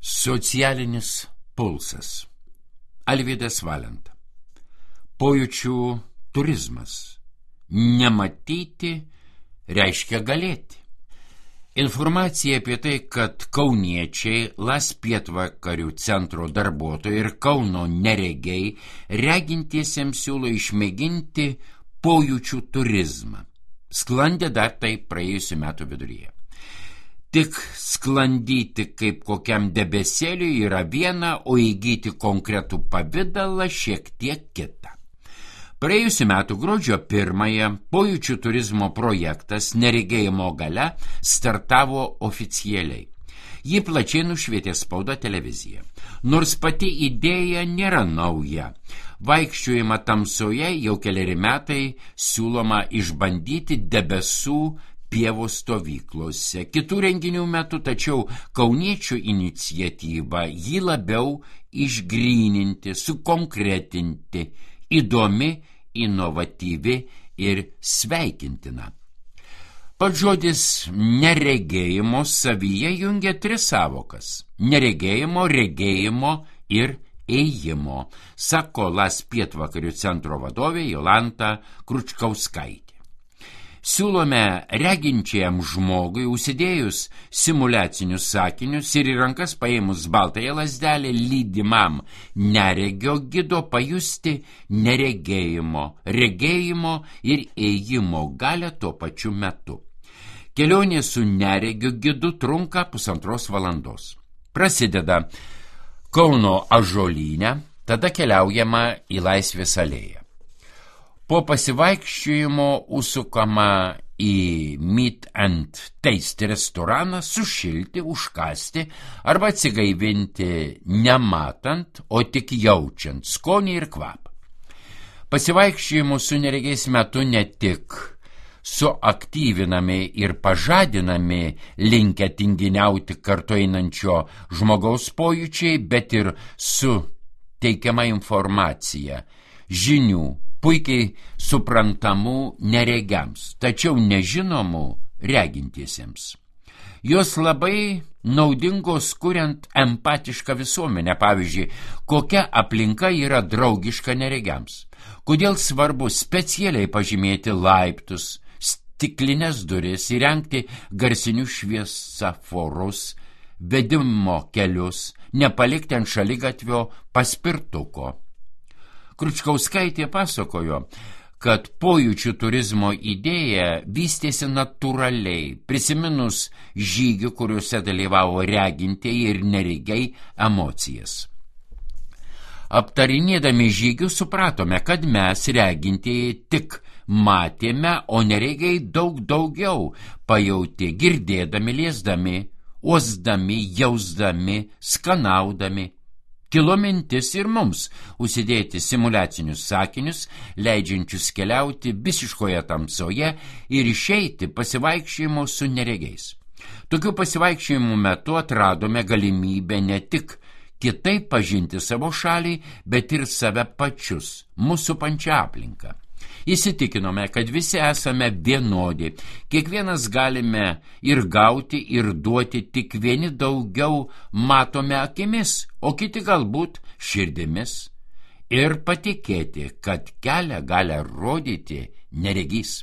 Socialinis pulsas. Alvydas Valenta. Pojūčių turizmas. Nematyti reiškia galėti. Informacija apie tai, kad kauniečiai, Las pietvakarių centro darbuotojai ir Kauno neregiai regintiesiems siūlo išmėginti pojūčių turizmą. Sklandė dar tai praėjusių metų viduryje. Tik sklandyti kaip kokiam debesėliui yra viena, o įgyti konkretų pavidalą šiek tiek kita. Praėjusių metų gruodžio 1-ąją pojūčių turizmo projektas Neregėjimo galia startavo oficialiai. Jį plačiai nušvietė spauda televizija. Nors pati idėja nėra nauja. Vaikščiojimą tamsoje jau keleri metai siūloma išbandyti debesų pievų stovyklose. Kitų renginių metu, tačiau kauniečių iniciatyva jį labiau išgryninti, sukonkretinti, įdomi, inovatyvi ir sveikintina. Pats žodis neregėjimo savyje jungia 3 sąvokas – neregėjimo, regėjimo ir ėjimo, sako Las pietvakarių centro vadovė Jolanta Kručkauskaitė. Siūlome reginčiam žmogui užsidėjus simuliacinius sakinius ir į rankas paėmus baltąją lazdelę lydimam neregio gido pajusti neregėjimo, regėjimo ir ėjimo galią tuo pačiu metu. Kelionė su neregio gidu trunka 1,5 valandos. Prasideda Kauno Ąžuolyne, tada keliaujama į Laisvės alėją. Po pasivaikščiojimo užsukama į Meat and Taste restoraną sušilti, užkasti arba atsigaivinti nematant, o tik jaučiant skonį ir kvapą. Pasivaikščiojimų su neregiais metu ne tik suaktyvinami ir pažadinami linkę tinginiauti kartu einančio žmogaus pojūčiai, bet ir suteikiama informacija, žinių, puikiai suprantamų neregiams, tačiau nežinomų regintiesiems. Jos labai naudingos kuriant empatišką visuomenę, pavyzdžiui, kokia aplinka yra draugiška neregiams, kodėl svarbu specialiai pažymėti laiptus, stiklinės duris, įrengti garsinius šviesoforus, vedimo kelius, nepalikti ant šaligatvio paspirtuko. Kručkauskaitė pasakojo, kad pojūčių turizmo idėja vystėsi natūraliai, prisiminus žygių, kuriuose dalyvavo regintieji ir neregiai emocijas. Aptarinėdami žygius supratome, kad mes regintieji tik matėme, o neregiai daug daugiau pajautė, girdėdami, liesdami, uosdami, jausdami, skanaudami. Kilo mintis ir mums užsidėti simuliacinius sakinius, leidžiančius keliauti visiškoje tamsoje ir išeiti pasivaikščiojimo su neregiais. Tokių pasivaikščiojimų metu atradome galimybę ne tik kitaip pažinti savo šalį, bet ir save pačius, mūsų pačią aplinką. Įsitikinome, kad visi esame vienodi, kiekvienas galime ir gauti, ir duoti, tik vieni daugiau matome akimis, o kiti galbūt širdimis, ir patikėti, kad kelią gali rodyti neregys.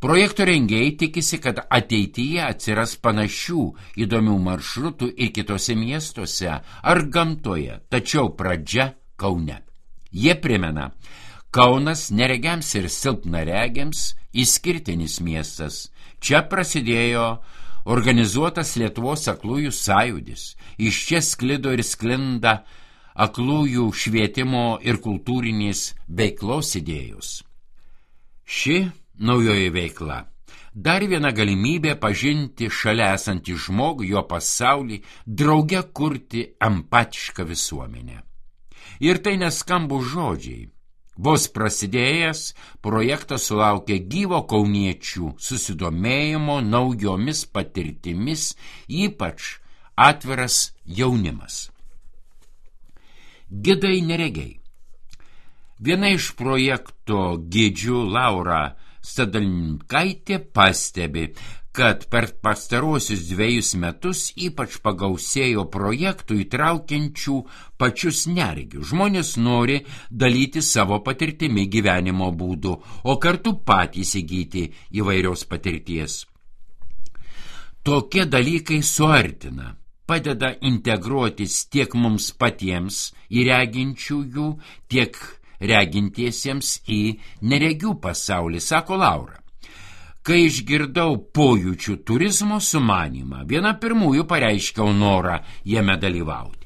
Projekto rengėjai tikisi, kad ateityje atsiras panašių įdomių maršrutų ir kitose miestuose ar gamtoje, tačiau pradžia Kaune. Jie primena, Kaunas neregiams ir silpnaregiams išskirtinis miestas. Čia prasidėjo organizuotas Lietuvos aklųjų sąjūdis. Iš čia sklido ir sklinda aklųjų švietimo ir kultūrinės veiklos idėjos. Ši naujoji veikla dar viena galimybė pažinti šalia esantį žmogų, jo pasaulį, drauge kurti empatišką visuomenę. Ir tai neskambų žodžiai. Vos prasidėjęs, projektas sulaukė gyvo kauniečių susidomėjimo naujomis patirtimis, ypač atviras jaunimas. Gidai neregiai. Viena iš projekto gidžių Laura Stadalinkaitė pastebi, kad per pastaruosius 2 metus ypač pagausėjo projektų įtraukiančių pačius neregius. Žmonės nori dalyti savo patirtimi gyvenimo būdu, o kartu patys įgyti įvairios patirties. Tokie dalykai suartina, padeda integruotis tiek mums patiems į reginčiųjų, tiek regintiesiems į neregių pasaulį, sako Laura. Kai išgirdau pojūčių turizmo sumanymą, viena pirmųjų pareiškiau norą jame dalyvauti.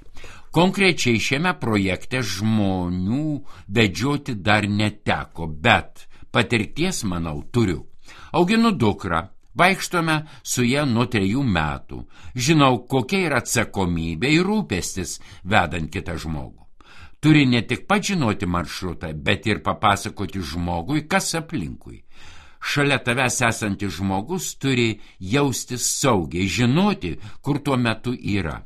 Konkrečiai šiame projekte žmonių vedžioti dar neteko, bet patirties, manau, turiu. Auginu dukrą, vaikštome su ja nuo 3 metų. Žinau, kokia yra atsakomybė ir rūpestis vedant kitą žmogų. Turi ne tik pats žinoti maršrutą, bet ir papasakoti žmogui, kas aplinkui. Šalia tavęs esantis žmogus turi jaustis saugiai, žinoti, kur tuo metu yra.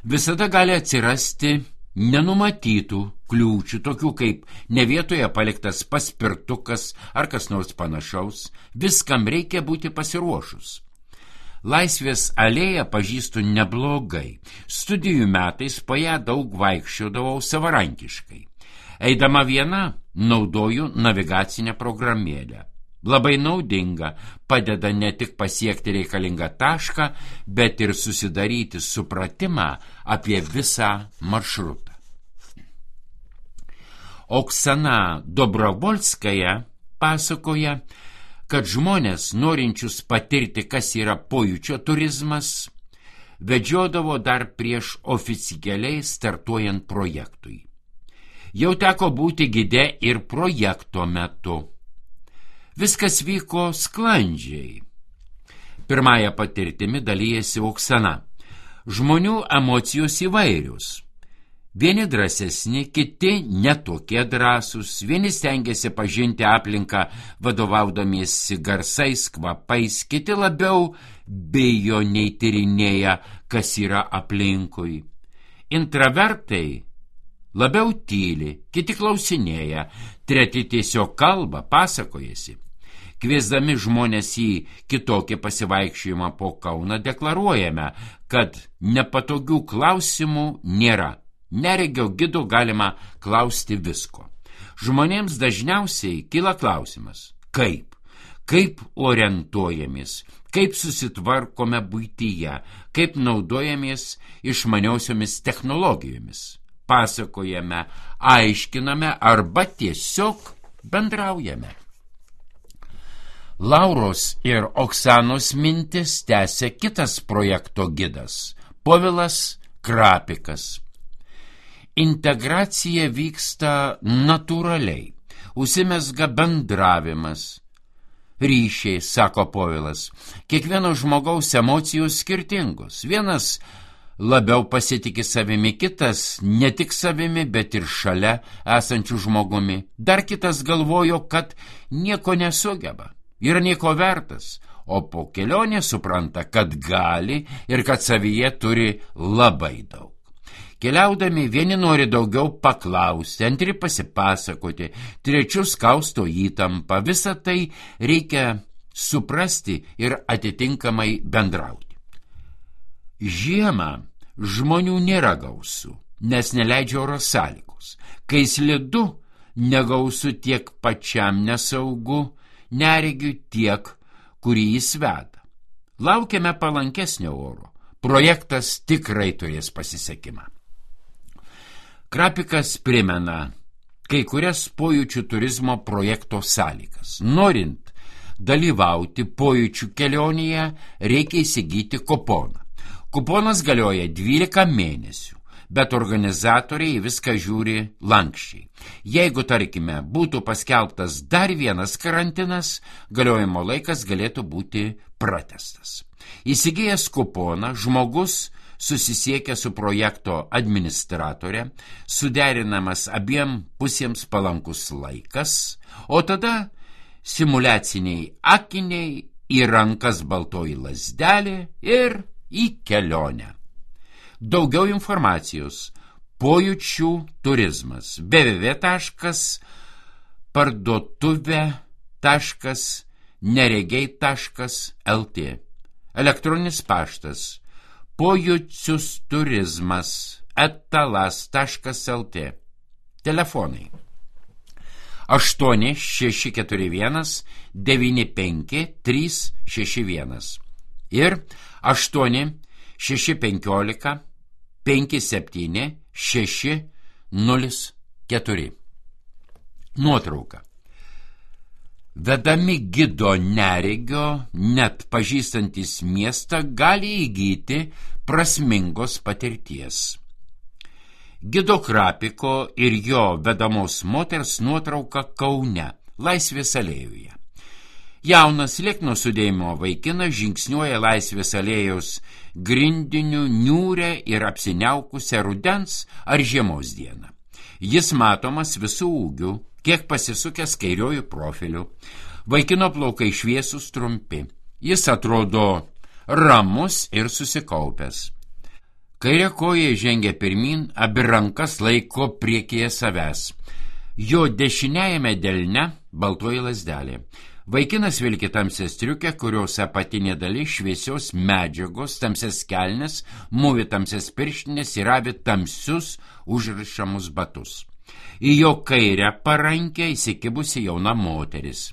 Visada gali atsirasti nenumatytų kliūčių, tokių kaip ne vietoje paliktas paspirtukas ar kas nors panašaus. Viskam reikia būti pasiruošus. Laisvės alėją pažįstu neblogai. Studijų metais po ją daug vaikščiodavau savarankiškai. Eidama viena, naudoju navigacinę programėlę. Labai naudinga, padeda ne tik pasiekti reikalingą tašką, bet ir susidaryti supratimą apie visą maršrutą. Oksana Dobrovolskaja pasakoja, kad žmonės, norinčius patirti, kas yra pojūčio turizmas, vedžiodavo dar prieš oficialiai startuojant projektui. Jau teko būti gide ir projekto metu. Viskas vyko sklandžiai. Pirmąją patirtimi dalyjasi Oksana. Žmonių emocijos įvairius. Vieni drąsesni, kiti netokie drąsūs, vieni stengiasi pažinti aplinką vadovaudamiesi garsais, kvapais, kiti labiau bijo nei tyrinėja, kas yra aplinkui. Intravertai labiau tyli, kiti klausinėja, treti tiesiog kalba, pasakojasi. Kviesdami žmonės į kitokį pasivaikščiojimą po Kauną deklaruojame, kad nepatogių klausimų nėra. Neregio gido galima klausti visko. Žmonėms dažniausiai kyla klausimas, kaip orientuojamės, kaip susitvarkome buityje, kaip naudojamės išmaniosiomis technologijomis. Pasakojame, aiškiname arba tiesiog bendraujame. Lauros ir Oksanos mintis tęsia kitas projekto gidas, Povilas Krapikas. Integracija vyksta natūraliai, užsimezga bendravimas, ryšiai, sako Povilas. Kiekvieno žmogaus emocijos skirtingos. Vienas labiau pasitiki savimi, kitas ne tik savimi, bet ir šalia esančių žmogumi. Dar kitas galvojo, kad nieko nesugeba, yra nieko vertas, o po kelionės supranta, kad gali ir kad savyje turi labai daug. Keliaudami vieni nori daugiau paklausti, antri pasipasakoti, trečius kausto įtampą. Visą tai reikia suprasti ir atitinkamai bendrauti. Žiemą žmonių nėra gausu, nes neleidžia oro sąlygos. Kai slidu, negausu tiek pačiam nesaugu, neregiu tiek, kurį jis veda. Laukiame palankesnio oro. Projektas tikrai turės pasisekimą. Krapikas primena kai kurias pojūčių turizmo projekto sąlygas. Norint dalyvauti pojūčių kelionėje, reikia įsigyti kuponą. Kuponas galioja 12 mėnesių, bet organizatoriai viską žiūri lankščiai. Jeigu, tarkime, būtų paskelbtas dar vienas karantinas, galiojimo laikas galėtų būti pratęstas. Įsigijęs kuponą, žmogus susisiekia su projekto administratore, suderinamas abiem pusėms palankus laikas, o tada simuliaciniai akiniai, į rankas baltoji lazdelė ir į kelionę. Daugiau informacijos pojūčių turizmas www.parduotuvė.dvd neregiai.lt. Elektroninis paštas pojuciusturizmas@talas.lt. Telefonai 8641 95 361 ir 8615 57 604. Nuotrauka. Vedami gido neregio, net pažįstantis miestą gali įgyti prasmingos patirties. Gido Krapiko ir jo vedamos moters nuotrauka Kaune, Laisvės alėjoje. Jaunas liekno sudėjimo vaikinas žingsniuoja Laisvės alėjos grindiniu niūrę ir apsiniaukusią rudens ar žiemos dieną. Jis matomas visų ūgių, kiek pasisukęs kairiojų profiliu. Vaikino plaukai šviesūs trumpi. Jis atrodo ramus ir susikaupęs. Kairė koja žengia pirmin, abi rankas laiko priekyje savęs. Jo dešiniajame delne baltoji lazdelė. Vaikinas vilki tamsią striukę, kurios apatinė dalis šviesios medžiagos, tamsias kelnes, mūvi tamsias pirštinės ir avi tamsius užrišamus batus. Į jo kairę parankę įsikibusi jauna moteris.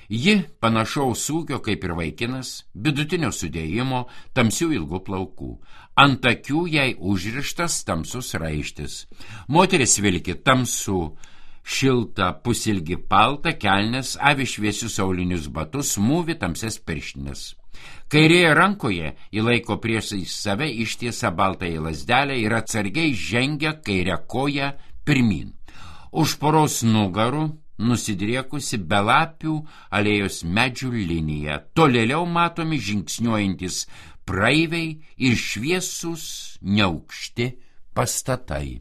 Ji panašaus ūgio kaip ir vaikinas, vidutinio sudėjimo, tamsių ilgų plaukų. Ant akių jai užrištas tamsus raištis. Moteris vilki tamsų šiltą pusilgį paltą, kelnes, avi šviesius aulinius batus, mūvi tamsias pirštinės. Kairėje rankoje įlaiko priešais save ištiesą baltąją lazdelę ir atsargiai žengia kairę koją pirmin. Už poros nugarų nusidriekusi belapių alėjos medžių linija. Tolėliau matomi žingsniuojantis praeiviai ir šviesūs neaukšti pastatai.